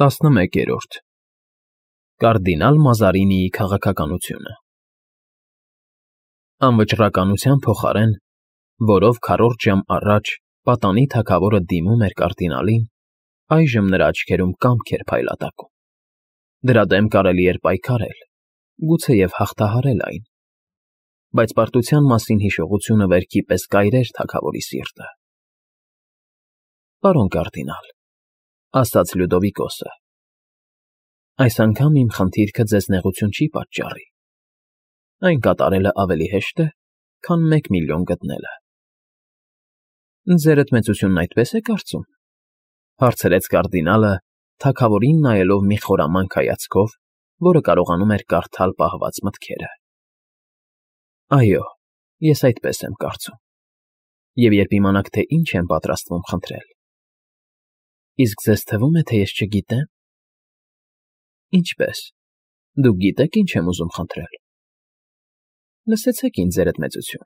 11-րդ Կարդինալ Մազարինիի քաղաքականությունը Անվճռականության փոխարեն, որով քառորդ ժամ առաջ պատանի թագավորը դիմում էր կարդինալին, այժմ նրա աչքերում կամք էր փայլատակում. դրա դեմ կարելի էր պայքարել, գուցեև հաղթահարել այն, բայց պարտության մասին հիշողությունը վերքի պես կայրեր թագավորի սիրտը։ Պարոն կարդինալ, ասաց Լյուդովիկոսը, այս անգամ իմ խնդիրքը ձեզ նեղություն չի պատճառի, այն կատարելը ավելի հեշտ է, քան 1 միլիոն գտնելը։ Ձերդ մեծությունն այդպես է կարծում, հարցրեց կարդինալը, թագավորին նայելով մի խորամանկ հայացքով, որը կարողանում էր կարդալ պահված մտքերը։ Այո, ես այդպես եմ կարծում, և երբ իմանաք, թե ինչ եմ պատրաստվում խնդրել։ Իսկ ձեզ թվում է, թե ես չգիտեմ։ Ինչպե՞ս, դուք գիտեք, ինչ եմ ուզում խնդրել։ Լսեցեք ինձ, ձերդ մեծություն,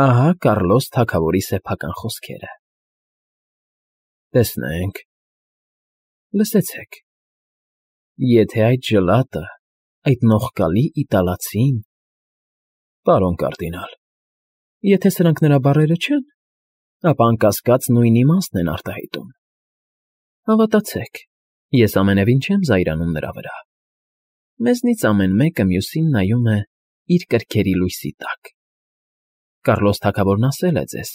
ահա Կառլոս թագավորի սեփական խոսքերը։ Տեսնենք, լսեցեք, եթե այդ ջլատը, այդ նողկալի իտալացին… Պարոն կարդինալ, եթե սրանք նրա բառերը չեն, ապա անկասկած նույն իմաստն են արտահայտում։ Հավատացեք, ես ամենևին չեմ զայրանում նրա վրա։ Մեզնից ամեն մեկը մյուսին նայում է իր կրքերի լույսի տակ։ Կառլոս թագավորն ասել է ձեզ,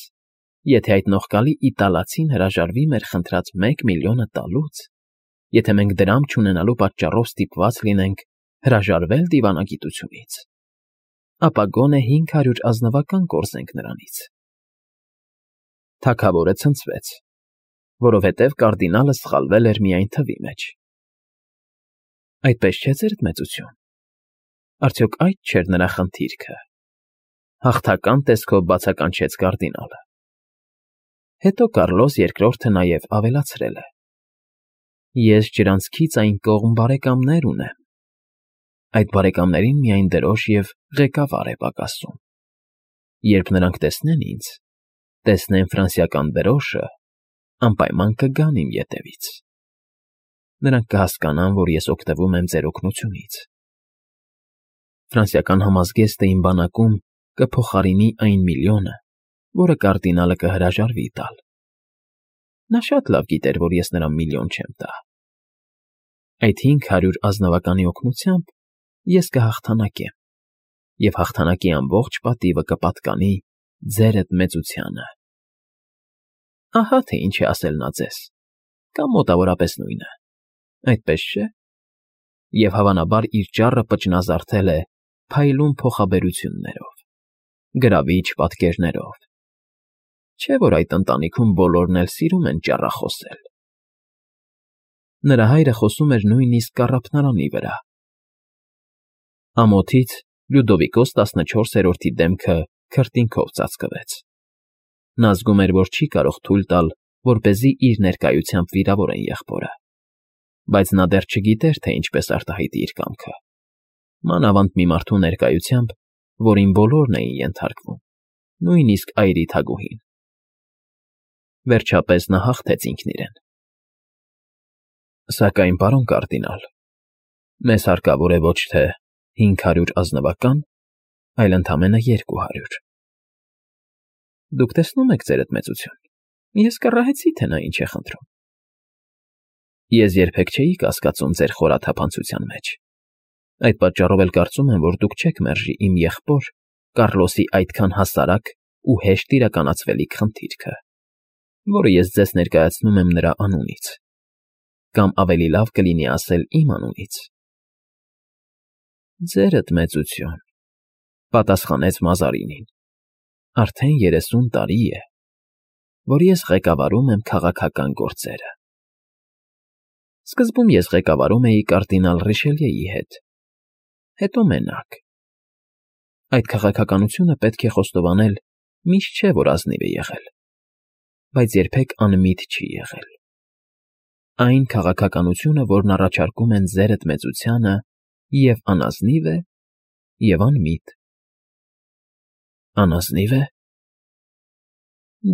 եթե այդ նողկալի իտալացին հրաժարվի մեր խնդրած 1 միլիոնը տալուց, եթե մենք դրամ չունենալու պատճառով ստիպված լինենք հրաժարվել դիվանագիտությունից, ապա գոնե 500 ազնվական կորզենք նրանից։ Թագավորը ցնցվեց, որովհետև կարդինալը սխալվել էր միայն թվի մեջ։ Այդպես չէ, ձերդ մեծություն, արդյոք այդ չէր նրա խնդիրքը, հաղթական տեսքով բացականչեց կարդինալը։ Հետո Կառլոս II-ը նաև ավելացրել է. Ես ջրանցքից այն կողմ բարեկամներ ունեմ, այդ բարեկամներին միայն դրոշ և ղեկավար է պակասում։ Երբ նրանք տեսնեն ինձ, տեսնեն ֆրանսիական դրոշը, անպայման կգան իմ ետևից։ Նրանք կհասկանան, որ ես օգտվում եմ ձեր օգնությունից։ Ֆրանսիական համազգեստը իմ բանակում կփոխարինի այն միլիոնը, որը կարդինալը կհրաժարվի տալ։ Նա շատ լավ գիտեր, որ ես նրան միլիոն չեմ տա։ Այդ 500 ազնվականի օգնությամբ ես կհաղթանակեմ, և հաղթանակի ամբողջ պատիվը կպատկանի ձերդ մեծությանը։ Ահա թե ինչ է ասել նա ձեզ, կամ մոտավորապես նույնը, այդպես չէ՞։ Եվ հավանաբար իր ճառը պճնազարդել է փայլուն փոխաբերություններով, գրավիչ պատկերներով։ Չէ՞ որ այդ ընտանիքում բոլորն էլ սիրում են ճառախոսել։ Նրա հայրը խոսում էր նույնիսկ կառափնարանի վրա։ Ամոթից Լյուդովիկոս 14-րդի դեմքը քրտինքով ծածկվեց։ Նա զգում էր, որ չի կարող թույլ տալ, որպեսզի իր ներկայությամբ վիրավորեն եղբորը, բայց նա դեռ չգիտեր, թե ինչպես արտահայտի իր կամքը, մանավանդ մի մարդու ներկայությամբ, որին բոլորն էին ենթարկվում, նույնիսկ այրի թագուհին։ Վերջապես նա հաղթեց ինքն իրեն։ Սակայն, պարոն կարդինալ, մեզ հարկավոր է ոչ թե 500 ազնվական, այլ ընդամենը 200։ Դուք տեսնում եք, ձերդ մեծություն, ես կռահեցի, թե նա ինչ է խնդրում։ Ես երբեք չէի կասկածում ձեր խորաթափանցության մեջ։ Այդ պատճառով էլ կարծում եմ, որ դուք չեք մերժի իմ եղբոր Կառլոսի այդքան հասարակ ու հեշտ իրականացվելիք խնդիրքը, որը ես ձեզ ներկայացնում եմ նրա անունից, կամ ավելի լավ կլինի ասել իմ անունից։ Ձերդ մեծություն, պատասխանեց Մազարինին, արդեն 30 տարի է, որ ես ղեկավարում եմ քաղաքական գործերը։ Սկզբում ես ղեկավարում էի կարդինալ Ռիշելիեի հետ, հետո մենակ։ Այդ քաղաքականությունը պետք է խոստովանել, միշտ չէ, որ ազնիվ է եղել, բայց երբեք անմիտ չի եղել։ Այն քաղաքականությունը, որն առաջարկում են ձերդ մեծությանը, և անազնիվ է, և անմիտ։ Անազնիվ է։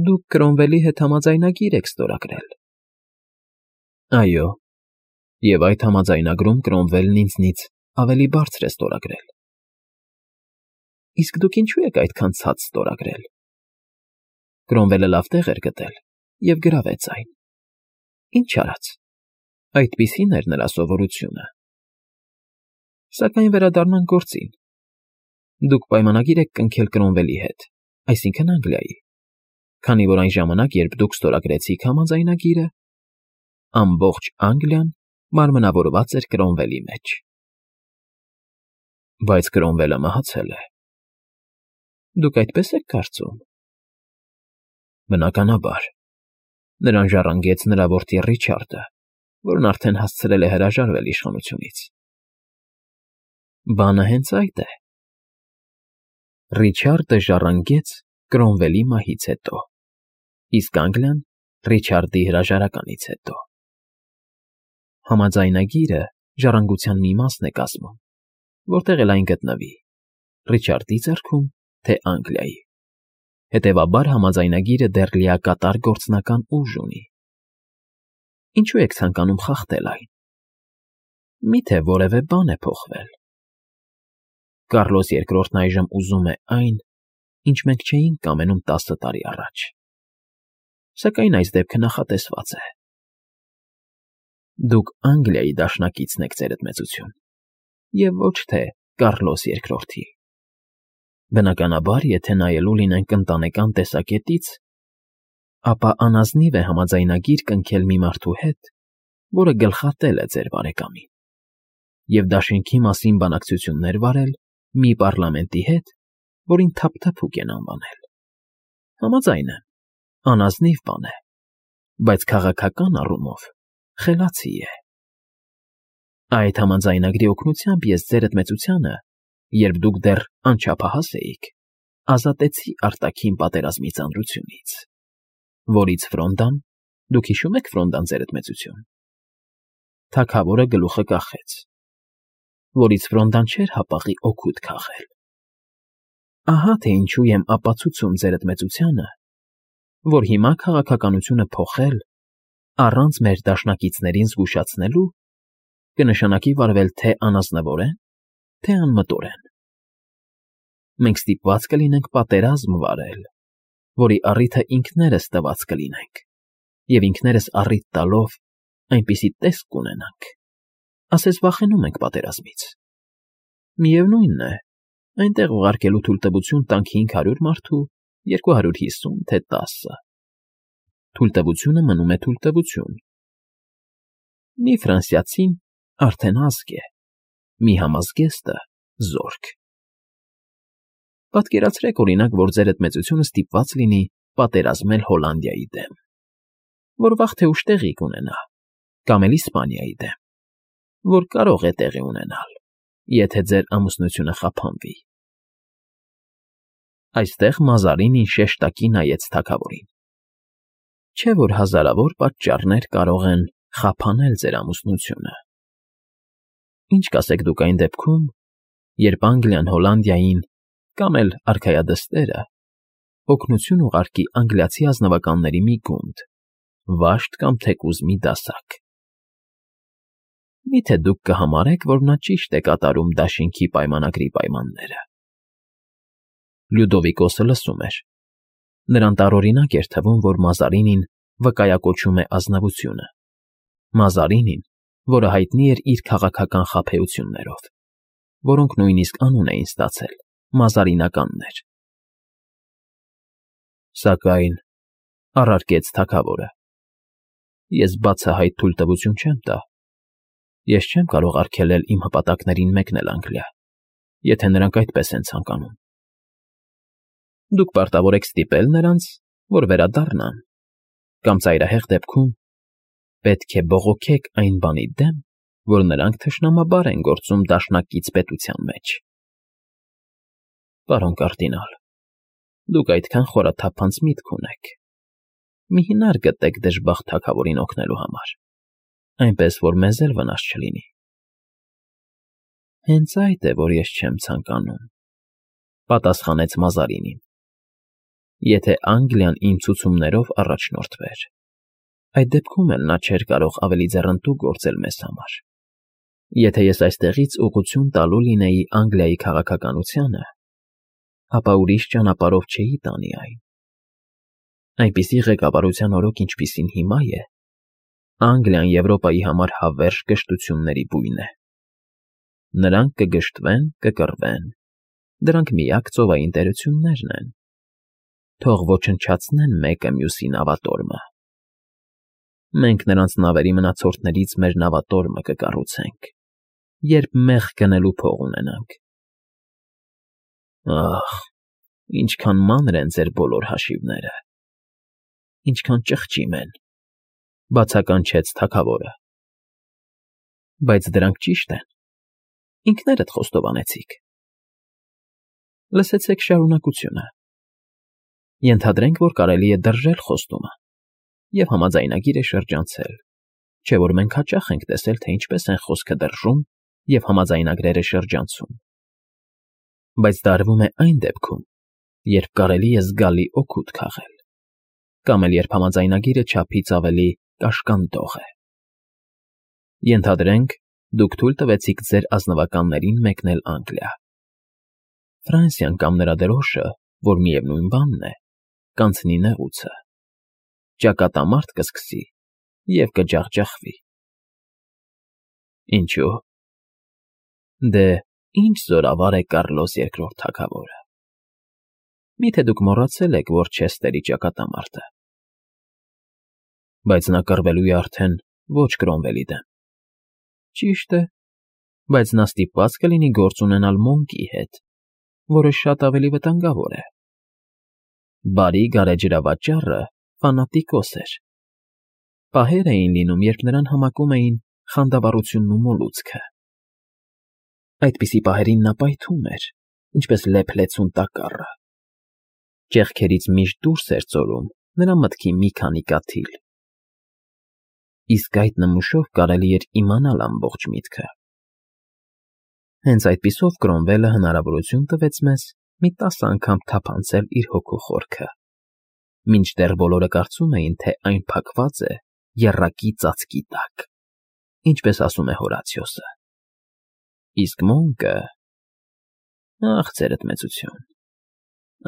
Դուք Կրոմվելի հետ համաձայնագիր եք ստորագրել։ Այո, Եվ այդ համաձայնագրում Կրոմվելն ինձնից ավելի բարձր է ստորագրել։ Իսկ դուք ինչու եք այդքան ցած ստորագրել։ Կրոմվելը լավ տեղ էր գտել և գրավեց այն։ Ինչ արած։ Այդպիսին էր նրա սովորությունը։ Սակայն վերադառնանք գործին։ Դուք պայմանագիր եք կնքել Կրոմվելի հետ, այսինքն Անգլիայի, քանի որ այն ժամանակ, երբ դուք ստորագրեցիք համաձայնագիրը, ամբողջ Անգլիան մարմնավորված էր Կրոմվելի մեջ։ Բայց Կրոմվելը մահացել է։ Դուք այդպես եք կարծում։ Բնականաբար, նրան ժառանգեց նրա որդի Ռիչարդը, որն արդեն հասցրել է հրաժարվել իշխանությունից։ Բանը հենց այդ է։ Ռիչարդը ժառանգեց Կրոմվելի մահից հետո, իսկ Անգլիան Ռիչարդի հրաժարականից հետո։ Համաձայնագիրը ժառանգության մի մասն է կազմում, որտեղ էլ այն գտնվի, Ռիչարդի ձեռքում, թե Անգլիայի։ Հետևաբար համաձայնագիրը դեռ լիակատար գործնական ուժ ունի։ Ինչու եք ցանկանում խախտել այն։ Միթե որևէ բան է փոխվել։ Կառլոս II-ն այժմ ուզում է այն, ինչ մենք չէինք կամենում 10 տարի առաջ։ Սակայն այս դեպքը նախատեսված է։ Դուք Անգլիայի դաշնակիցն եք, ձերդ մեծություն, և ոչ թե Կառլոս II-ի։ Բնականաբար, եթե նայելու լինենք ընտանեկան տեսակետից, ապա անազնիվ է համաձայնագիր կնքել մի մարդու հետ, որը գլխատել է ձեր բարեկամին, և դաշինքի մասին բանակցություններ վարել մի պառլամենտի հետ, որին թափթփուկ են անվանել։ Համաձայն եմ, անազնիվ բան է, բայց քաղաքական առումով խելացի է։ Այդ համաձայնագրի օգնությամբ ես ձերդ մեծությանը, երբ դուք դեռ անչափահաս էիք, ազատեցի արտաքին պատերազմի ծանրությունից, որից Ֆրոնդան, դուք հիշում եք Ֆրոնդան, ձերդ մեծություն, թագավորը գլուխը կախեց, որից Ֆրոնդան չէր հապաղի օգուտ քաղել։ Ահա թե ինչու եմ ապացուցում ձերդ մեծությանը, որ հիմա քաղաքականությունը փոխել առանց մեր դաշնակիցներին զգուշացնելու կնշանակի վարվել թե անազնվորեն, թե անմտորեն։ Մենք ստիպված կլինենք պատերազմ վարել, որի առիթը ինքներս տված կլինենք, և ինքներս առիթ տալով այնպիսի տեսք կունենանք, ասես վախենում ենք պատերազմից։ Միևնույնն է, այնտեղ ուղարկելու թույլտվություն տանք 500 մարդու, 250, թե 10։ Թույլտվությունը մնում է թույլտվություն։ Մի ֆրանսիացին արդեն ազգ է, մի համազգեստը զորք։ Պատկերացրեք, օրինակ, որ ձերդ մեծությունը ստիպված լինի պատերազմել Հոլանդիայի դեմ, որ վաղ թե ուշ տեղի կունենա, կամ էլ Իսպանիայի դեմ, որ կարող է տեղի ունենալ, եթե ձեր ամուսնությունը խափանվի։ Այստեղ Մազարինին շեշտակի նայեց թագավորին։ Չէ՞ որ հազարավոր պատճառներ կարող են խափանել ձեր ամուսնությունը։ Ինչ կասեք դուք այն դեպքում, երբ Անգլիան Հոլանդիային կամ էլ արքայադստերը օգնություն ուղարկի անգլիացի ազնվականների մի գունդ, վաշտ կամ թեկուզ մի դասակ։ Միթե դուք կհամարեք, որ նա ճիշտ է կատարում դաշինքի պայմանագրի պայմանները։ Լյուդովիկոսը լսում էր։ Նրան տարօրինակ էր թվում, որ Մազարինին վկայակոչում է ազնվությունը։ Մազարինին, որը հայտնի էր իր քաղաքական խաբեություններով, որոնք նույնիսկ անուն էին ստացել մազարինականներ։ Սակայն, առարկեց թագավորը, ես բացահայտ թույլտվություն չեմ տա։ Ես չեմ կարող արգելել իմ հպատակներին մեկնել Անգլիա, եթե նրանք այդպես են ցանկանում։ Դուք պարտավոր եք ստիպել նրանց, որ վերադառնան, կամ ծայրահեղ դեպքում պետք է բողոքեք այն բանի դեմ, որ նրանք թշնամաբար են գործում դաշնակից պետության մեջ։ Պարոն կարդինալ, դուք այդքան խորաթափանց միտք ունեք։ Մի հնար գտեք դժբախտ թագավորին օգնելու համար, այնպես որ մեզ էլ վնաս չլինի։ Հենց այդ է, որ ես չեմ ցանկանում, պատասխանեց Մազարինին։ Եթե Անգլիան իմ ցուցումներով առաջնորդվեր, Այդ դեպքում էլ նա չէր կարող ավելի ձեռնտու գործել մեզ համար։ Եթե ես այստեղից ուղղություն տալու լինեի Անգլիայի քաղաքականությանը, ապա ուրիշ ճանապարհով չէի տանի այն։ Այնպիսի ղեկավարության օրոք, ինչպիսին հիմա է, Անգլիան Եվրոպայի համար հավերժ կշտությունների բույն է։ Նրանք կգժտվեն, կկռվեն, դրանք միակ ծովային տերություններն են։ Թող ոչնչացնեն մեկը մյուսի նավատորմը։ Մենք նրանց նավերի մնացորդներից մեր նավատորմը կկառուցենք, երբ մեղ գնելու փող ունենանք։ Ահ, ինչքան մանր են ձեր բոլոր հաշիվները, ինչքան ճղճիմ են, բացականչեց թագավորը։ Բայց դրանք ճիշտ են, ինքներդ խոստովանեցիք։ Լսեցեք շարունակությունը։ Ենթադրենք, որ կարելի է դրժել խոստումը և համաձայնագիրը շրջանցել, չէ՞ որ մենք հաճախ ենք տեսել, թե ինչպես են խոսքը դրժում և համաձայնագրերը շրջանցում։ Բայց դա արվում է այն դեպքում, երբ կարելի է զգալի օգուտ քաղել, կամ էլ երբ համաձայնագիրը չափից ավելի կաշկանդող է։ Ենթադրենք, դուք թույլ տվեցիք ձեր ազնվականներին մեկնել Անգլիա։ Ֆրանսիան կամ նրա դրոշը, որ միևնույն բանն է, կանցնի նեղուցը, ճակատամարտ կսկսի և կջախջախվի։ Ինչո՞ւ։ Դե, ինչ զորավար է Կառլոս Երկրորդ թագավորը։ Մի՞թե դուք մոռացել եք, որ Չեստերի ճակատամարտը։ Բայց նա կռվելու է արդեն ոչ Կրոմվելի դեմ։ Ճիշտ է, բայց նա ստիպված կլինի գործ ունենալ Մոնկի հետ, որը շատ ավելի վտանգավոր է։ Բարի գարեջրավաճառը ֆանատիկոս էր։ Պահեր էին լինում, երբ նրան համակում էին խանդավառությունն ու մոլուցքը։ Այդպիսի պահերին նա պայթում էր, ինչպես լեփ-լեցուն տակառը։ Ճեղքերից միշտ դուրս էր ծորում նրա մտքի մի քանի կաթիլ։ Իսկ այդ նմուշով կարելի էր իմանալ ամբողջ միտքը։ Հենց այդպիսով Կրոմվելը հնարավորություն տվեց մեզ մի 10 անգամ թափանցել իր հոգու խորքը, մինչդեռ բոլորը կարծում էին, թե այն փակված է եռակի ծածկի տակ, ինչպես ասում է Հորացիոսը։ Իսկ Մոնկը… Ախ, ձերդ մեծություն,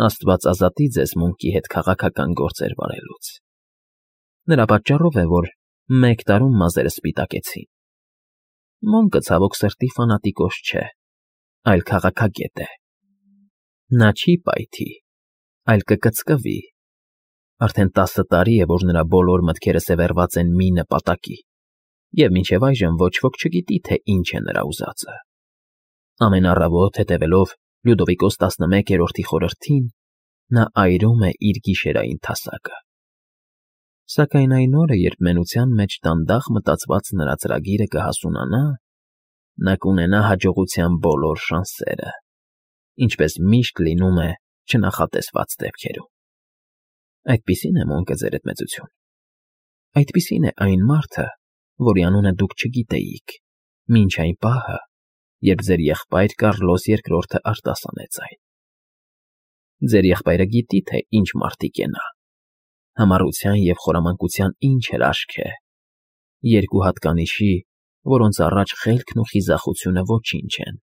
Աստված ազատի ձեզ Մոնկի հետ քաղաքական գործեր վարելուց։ Նրա պատճառով է, որ 1 տարում մազերը սպիտակեցին։ Մոնկը ցավոք սրտի ֆանատիկոս չէ, այլ քաղաքագետ է։ Նա չի պայթի, այլ կկծկվի։ Արդեն 10 տարի է, որ նրա բոլոր մտքերը սևեռված են մի նպատակի, և մինչև այժմ ոչ ոք չգիտի, թե ինչ է նրա ուզածը։ Ամեն առավոտ հետևելով Լյուդովիկոս 11-րդի խորհրդին, նա այրում է իր գիշերային թասակը։ Սակայն այն օրը, երբ մենության մեջ դանդաղ մտածված նրա ծրագիրը կհասունանա, նա կունենա հաջողության բոլոր շանսերը, ինչպես միշտ լինում է չնախատեսված դեպքերում։ Այդպիսին է Մոնկը, ձերդ մեծություն։ Այդպիսին է այն մարդը, որի անունը դուք չգիտեիք, մինչ այն պահը, երբ ձեր եղբայր Կառլոս Երկրորդը արտասանեց այն։ Ձեր եղբայրը գիտի, թե ինչ մարդիկ է նա, համառության և խորամանկության ինչ հրաշք է, երկու հատկանիշի, որոնց առաջ խելքն ու խիզախությունը ոչինչ են։